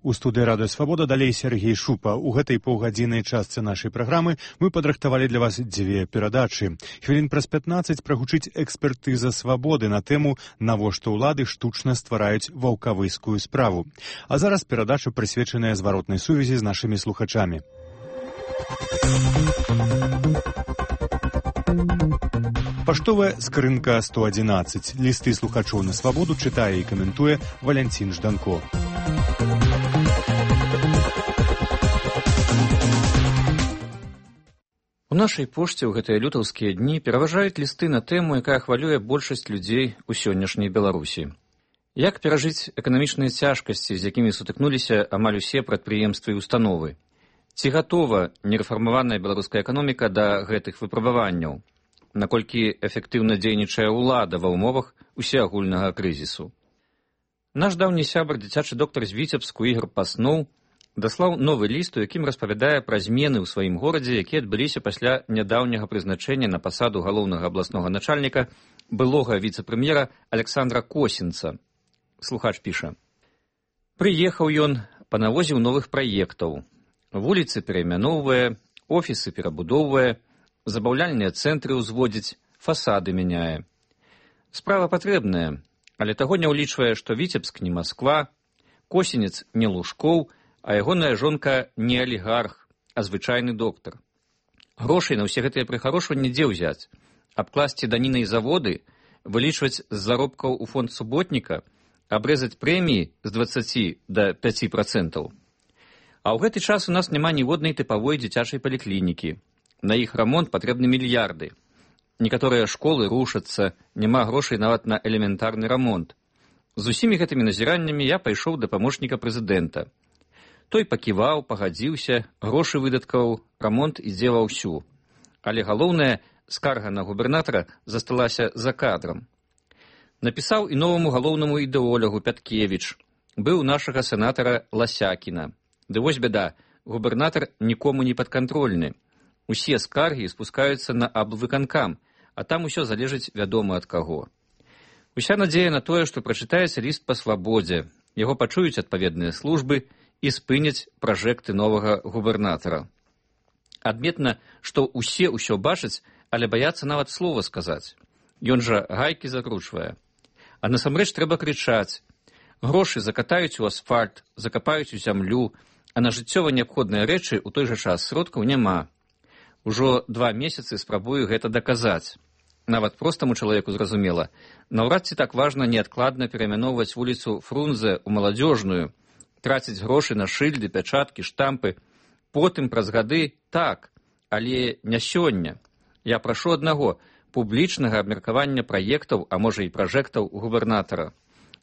У студыі Радыё Свабода далей Сергей Шупа. У гэтай паўгадзіннай частцы нашай праграмы мы падрыхтавалі для вас дзве перадачы. Хвілін праз 15 прагучыць экспертыза свабоды на тэму «Навошта ўлады штучна ствараюць ваўкавыскую справу». А зараз перадача прысвечаная зваротнай сувязі з нашымі слухачамі. Паштовая скрынка 111. Лісты слухачоў на свабоду чытае і каментуе Валянцін Жданко. У нашай пошце ў гэтыя лютаўскія дні пераважаюць лісты на тэму, якая хвалюе большасць людзей у сённяшняй Беларусі. Як перажыць эканамічныя цяжкасці, з якімі сутыкнуліся амаль усе прадпрыемствы і установы? Ці гатова нерэфармаваная беларуская эканоміка да гэтых выпрабаванняў? Наколькі эфектыўна дзейнічае ўлада ва ўмовах усеагульнага крызісу? Наш даўні сябар, дзіцячы доктар з Віцебску Ігар Пасноў, даслаў новы ліст, у якім распавядае пра змены ў сваім горадзе, якія адбыліся пасля нядаўняга прызначэння на пасаду галоўнага абласнога начальніка былога віцэ-прэм'ера Александра Косінца. Слухач піша: «Прыехаў ён, панавозіў новых праектаў. Вуліцы пераймяноўвае, офісы перабудоўвае, забаўляльныя цэнтры ўзводзіць, фасады мяняе. Справа патрэбная, але таго не ўлічвае, што Віцебск не Масква, Косінец не Лужкоў, а ягоная жонка не алігарх, а звычайны доктар. Грошай на ўсе гэтыя прыхарошванні дзе ўзяць? Абкласці данінай заводы, вылічваць з заробкаў у фонд суботніка, абрэзаць прэміі з 20 да 5%. А ў гэты час у нас няма ніводнай тыпавой дзіцячай паліклінікі. На іх рамонт патрэбны мільярды. Некаторыя школы рушацца, няма грошай нават на элементарны рамонт. З усімі гэтымі назіраннямі я пайшоў да памочніка прэзідэнта. Той паківаў, пагадзіўся, грошы выдаткаў, рамонт ідзе ва ўсю. Але галоўнае, скарга на губернатара засталася за кадрам. Напісаў і новаму галоўнаму ідэолягу Пяткевіч. Быў нашага сенатара Ласякіна. Ды вось бяда, губернатар нікому не падкантрольны. Усе скаргі спускаюцца на аблвыканкам, а там усё залежыць вядома ад каго. Уся надзея на тое, што прачытаецца ліст па свабодзе, яго пачуюць адпаведныя службы і спыняць пражэкты новага губернатара. Адметна, што усе ўсё бачаць, але баяцца нават слова сказаць. Ён жа гайкі закручвае. А насамрэч трэба крычаць. Грошы закатаюць у асфальт, закапаюць у зямлю, а на жыццёва неабходныя рэчы ў той жа час сродкаў няма. Ужо 2 месяцы спрабую гэта даказаць. Нават простаму чалавеку зразумела, наўрад ці так важна неадкладна пераймяноўваць вуліцу Фрунзе ў Маладзёжную, траціць грошы на шыльды, пячаткі, штампы. Потым праз гады так, але не сёння. Я прашу аднаго публічнага абмеркавання праектаў, а можа і пражэктаў губернатара.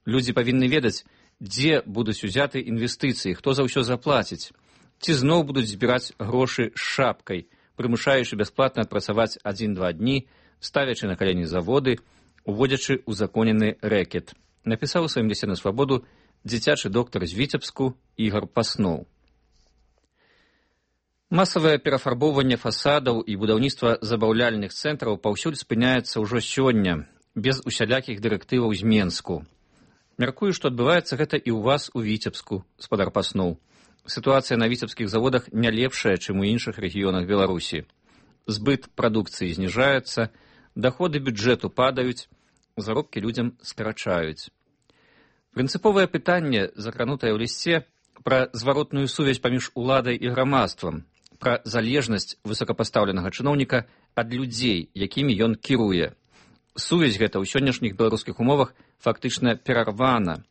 Людзі павінны ведаць, дзе будуць узяты інвестыцыі, хто за ўсё заплаціць. Ці зноў будуць збіраць грошы з шапкай, прымушаючы бясплатна адпрацаваць 1-2 дні, ставячы на калені заводы, уводзячы узаконены рэкет. Напісаў у сваім лісце на свабоду дзіцячы доктар з Віцебску Ігар Пасноў. Масавае перафарбоўванне фасадаў і будаўніцтва забаўляльных цэнтраў паўсюль спыняецца ўжо сёння, без усялякіх дырэктываў з Менску. Мяркую, што адбываецца гэта і ў вас у Віцебску, спадар Пасноў. Сітуацыя на віцебскіх заводах не лепшая, чым у іншых рэгіёнах Беларусі. Збыт прадукцыі зніжаецца, даходы бюджэту падаюць, заробкі людзям скарачаюць. Прынцыповае пытанне, закранутае ў лісце, пра зваротную сувязь паміж уладай і грамадствам, пра залежнасць высокапастаўленага чыноўніка ад людзей, якімі ён кіруе. Сувязь гэта ў сённяшніх беларускіх умовах фактычна перарвана.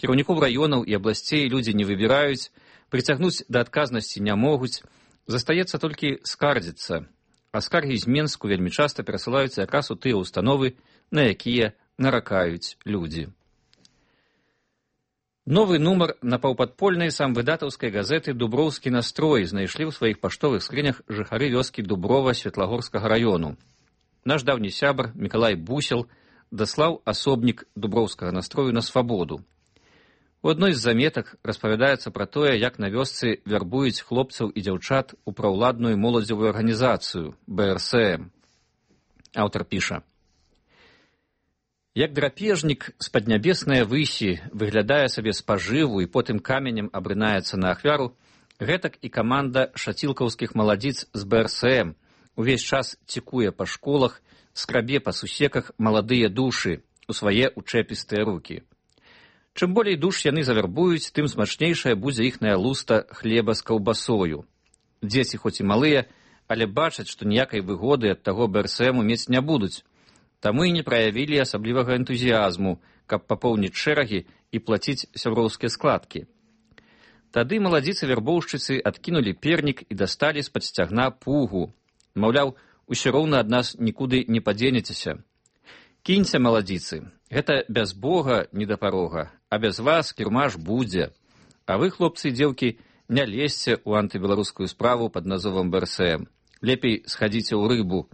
Кіраўнікоў раёнаў і абласцей людзі не выбіраюць, прыцягнуць да адказнасці не могуць, застаецца толькі скардзіцца. А скаргі з Менску вельмі часта перасылаюцца якраз у тыя ўстановы, на якія наракаюць людзі. Новы нумар напаўпадпольнай самвыдатаўскай газеты «Дуброўскі настрой» знайшлі ў сваіх паштовых скрынях жыхары вёскі Дуброва Светлагорскага раёну. Наш даўні сябар Мікалай Бусел даслаў асобнік Дуброўскага настрою на свабоду. У адной з заметак распавядаецца пра тое, як на вёсцы вярбуюць хлопцаў і дзяўчат у праўладную моладзевую арганізацыю БРСМ. Аўтар піша: Як драпежнік з паднябеснае высі выглядае сабе спажыву і потым каменем абрынаецца на ахвяру, гэтак і каманда шацілкаўскіх маладзіц з БРСМ увесь час цікуе па школах, скрабе па сусеках маладыя душы у свае учэпістыя рукі. Чым болей душ яны завербуюць, тым смачнейшая будзе іхная луста хлеба з каўбасою. Дзеці хоць і малыя, але бачаць, што ніякай выгоды ад таго БРСМу мець не будуць, таму і не праявілі асаблівага энтузіязму, каб папоўніць шэрагі і плаціць сяброўскія складкі. Тады маладзіцы-вярбоўшчыцы адкінулі пернік і дасталі з-пад сцягна пугу. Маўляў, усё роўна ад нас нікуды не падзенецеся. Кіньце, маладзіцы, гэта без Бога не да парога, а без вас кірмаш будзе. А вы, хлопцы і дзеўкі, не лезьце ў антыбеларускую справу пад назовам БРСМ. Лепей схадзіце ў рыбу.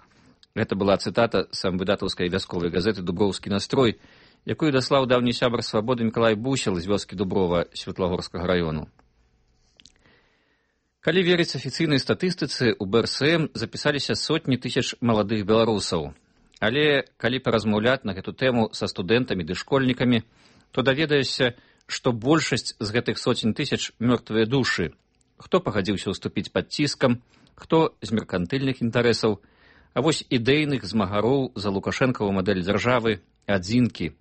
Гэта была цытата з самвыдатаўскай вясковай газеты «Дуброўскі настрой», якую даслаў даўні сябар свабоды Мікалай Бусел з вёскі Дуброва Светлагорскага раёну. Калі верыць афіцыйнай статыстыцы, у БРСМ запісаліся сотні тысяч маладых беларусаў. Але калі паразмаўляць на гэту тэму са студэнтамі ды школьнікамі, то даведаешся, што большасць з гэтых сотень тысяч мёртвыя душы. Хто пагадзіўся ўступіць пад ціскам, хто з меркантыльных інтарэсаў, а вось ідэйных змагароў за лукашэнкаву мадэль дзяржавы адзінкі.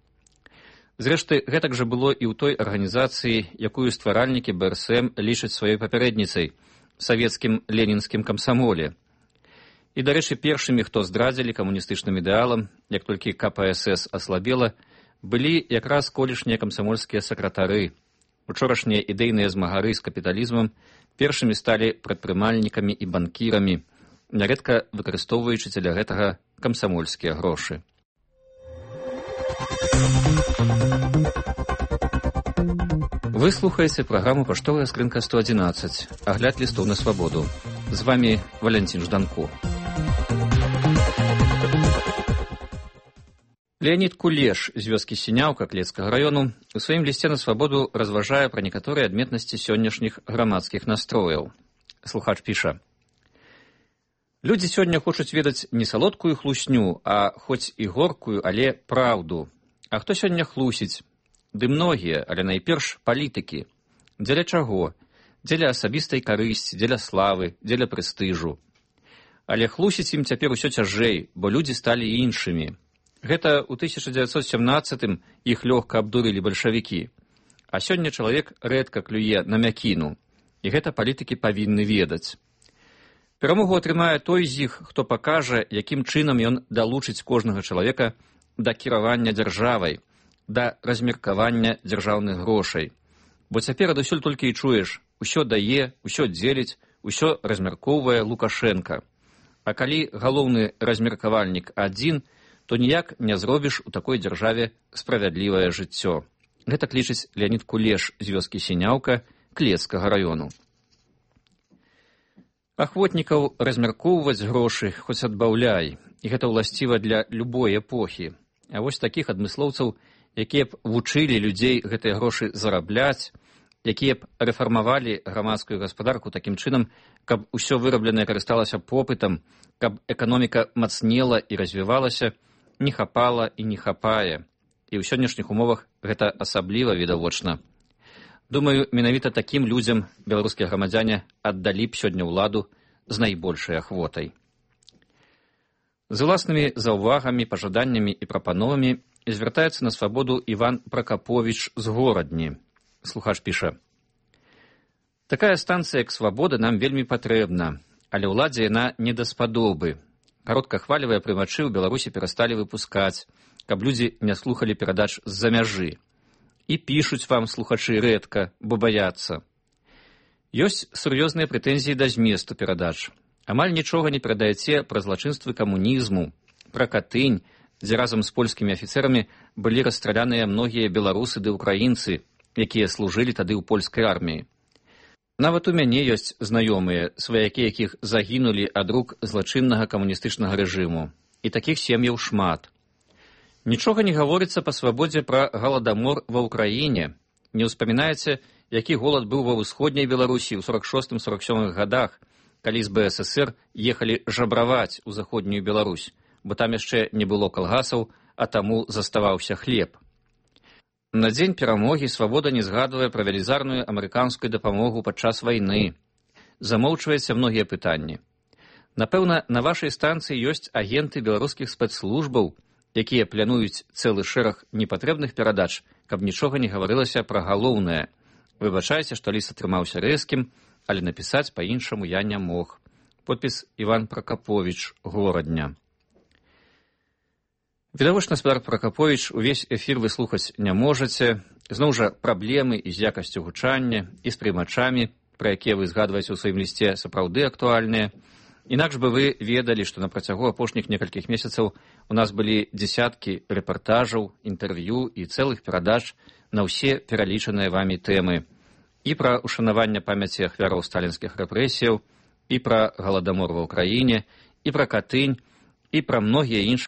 Зрэшты, гэтак жа было і ў той арганізацыі, якую стваральнікі БРСМ лічаць сваёй папярэдніцай, савецкім ленінскім камсамоле. І, дарэчы, першымі, хто здрадзілі камуністычным ідэалам, як толькі КПСС аслабела, былі якраз колішнія камсамольскія сакратары. Учорашнія ідэйныя змагары з капіталізмам першымі сталі прадпрымальнікамі і банкірамі, нярэдка выкарыстоўваючы дзеля гэтага камсамольскія грошы. Вы слухаеце праграму «Паштовая скрынка 111», агляд лістоў на свабоду. З вами Валянцін Жданко. Леонід Кулеш з вёскі Сіняўка Клецкага раёну у сваім лісце на свабоду разважае пра некаторыя адметнасці сённяшніх грамадскіх настрояў. Слухач піша: «Людзі сёння хочуць ведаць не салодкую хлусню, а хоць і горкую, але праўду. А хто сёння хлусіць? Ды многія, але найперш палітыкі. Дзеля чаго? Дзеля асабістай карысці, дзеля славы, дзеля прэстыжу. Але хлусіць ім цяпер усё цяжэй, бо людзі сталі іншымі. Гэта ў 1917-м іх лёгка абдурылі бальшавікі. А сёння чалавек рэдка клюе на мякіну. І гэта палітыкі павінны ведаць. Перамогу атрымае той з іх, хто пакажа, якім чынам ён далучыць кожнага чалавека да кіравання дзяржавай, да размеркавання дзяржаўных грошай. Бо цяпер адусюль толькі і чуеш: усё дае, усё дзеліць, усё размяркоўвае Лукашенка. А калі галоўны размеркавальнік адзін, то ніяк не зробіш у такой дзяржаве справядлівае жыццё. Гэта лічыць Леонід Кулеш з вёскі Сіняўка Клецкага раёну. Ахвотнікаў размяркоўваць грошы хоць адбаўляй, і гэта ўласціва для любой эпохі. А вось такіх адмыслоўцаў, якія б вучылі людзей гэтыя грошы зарабляць, якія б рэфармавалі грамадскую гаспадарку такім чынам, каб усё вырабленае карысталася попытам, каб эканоміка мацнела і развівалася, не хапала і не хапае. І ў сённяшніх умовах гэта асабліва відавочна. Думаю, менавіта такім людзям беларускія грамадзяне аддалі б сёння ўладу з найбольшай ахвотай. З уласнымі заўвагамі, пажаданнямі і прапановамі звяртаецца на свабоду Іван Пракаповіч з Горадні. Слухач піша: «Такая станцыя, як свабода, нам вельмі патрэбна, але ўладзе яна не даспадобы. Кароткахвалевыя прымачы ў Беларусі перасталі выпускаць, каб людзі не слухалі перадач з-за мяжы. І пішуць вам слухачы рэдка, бо баяцца. Ёсць сур'ёзныя прэтэнзіі да зместу перадач. Амаль нічога не перадаяце пра злачынствы камунізму, пра Катынь, дзе разам з польскімі афіцэрамі былі расстраляныя многія беларусы ды ўкраінцы, якія служылі тады ў польскай арміі. Нават у мяне ёсць знаёмыя, сваякі якіх загінулі ад рук злачыннага камуністычнага рэжыму. І такіх сем'яў шмат. Нічога не гаворыцца па свабодзе пра галадамор ва ўкраіне. Не ўспамінаеце, які голад быў ва ўсходняй Беларусі ў 46-47 гадах, калі з БССР ехалі жабраваць у заходнюю Беларусь, бо там яшчэ не было калгасаў, а таму заставаўся хлеб. На дзень перамогі «Свабода» не згадвае пра велізарную амерыканскую дапамогу падчас вайны. Замоўчваецца многія пытанні. Напэўна, на вашай станцыі ёсць агенты беларускіх спецслужбаў, якія плануюць цэлы шэраг непатрэбных перадач, каб нічога не гаварылася пра галоўнае. Выбачайце, што ліст атрымаўся рэзкім, але напісаць па-іншаму я не мог. Подпіс Іван Пракаповіч, Горадня. Відавочна, спадар Пракаповіч, увесь эфір вы слухаць не можаце. Зноў жа, праблемы і з якасцю гучання, і з прымачамі, пра якія вы згадваеце ў сваім лісце, сапраўды актуальныя. Інакш бы вы ведалі, што на працягу апошніх некалькіх месяцаў у нас былі дзесяткі рэпартажаў, інтэрв'ю і цэлых перадач на ўсе пералічаныя вамі тэмы. І пра ушанаванне памяці ахвяраў сталінскіх рэпрэсіяў, і пра галадамор ва ўкраіне, і пра Катынь, і пра многія іншыя